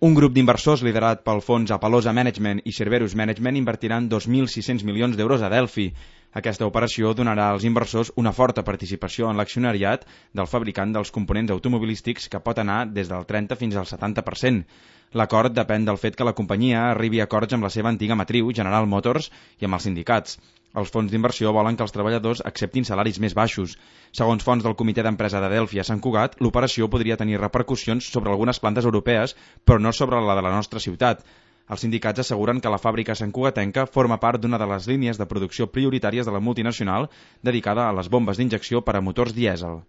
Un grup d'inversors liderat pel fons Apalosa Management i Cerberus Management invertiran 2.600 milions d'euros a Delphi. Aquesta operació donarà als inversors una forta participació en l'accionariat del fabricant dels components automobilístics que pot anar des del 30 fins al 70%. L'acord depèn del fet que la companyia arribi a acords amb la seva antiga matriu, General Motors, i amb els sindicats. Els fons d'inversió volen que els treballadors acceptin salaris més baixos. Segons fonts del comitè d'empresa de Delphi a Sant Cugat, l'operació podria tenir repercussions sobre algunes plantes europees, però no sobre la de la nostra ciutat. Els sindicats asseguren que la fàbrica santcugatenca forma part d'una de les línies de producció prioritàries de la multinacional dedicada a les bombes d'injecció per a motors dièsel.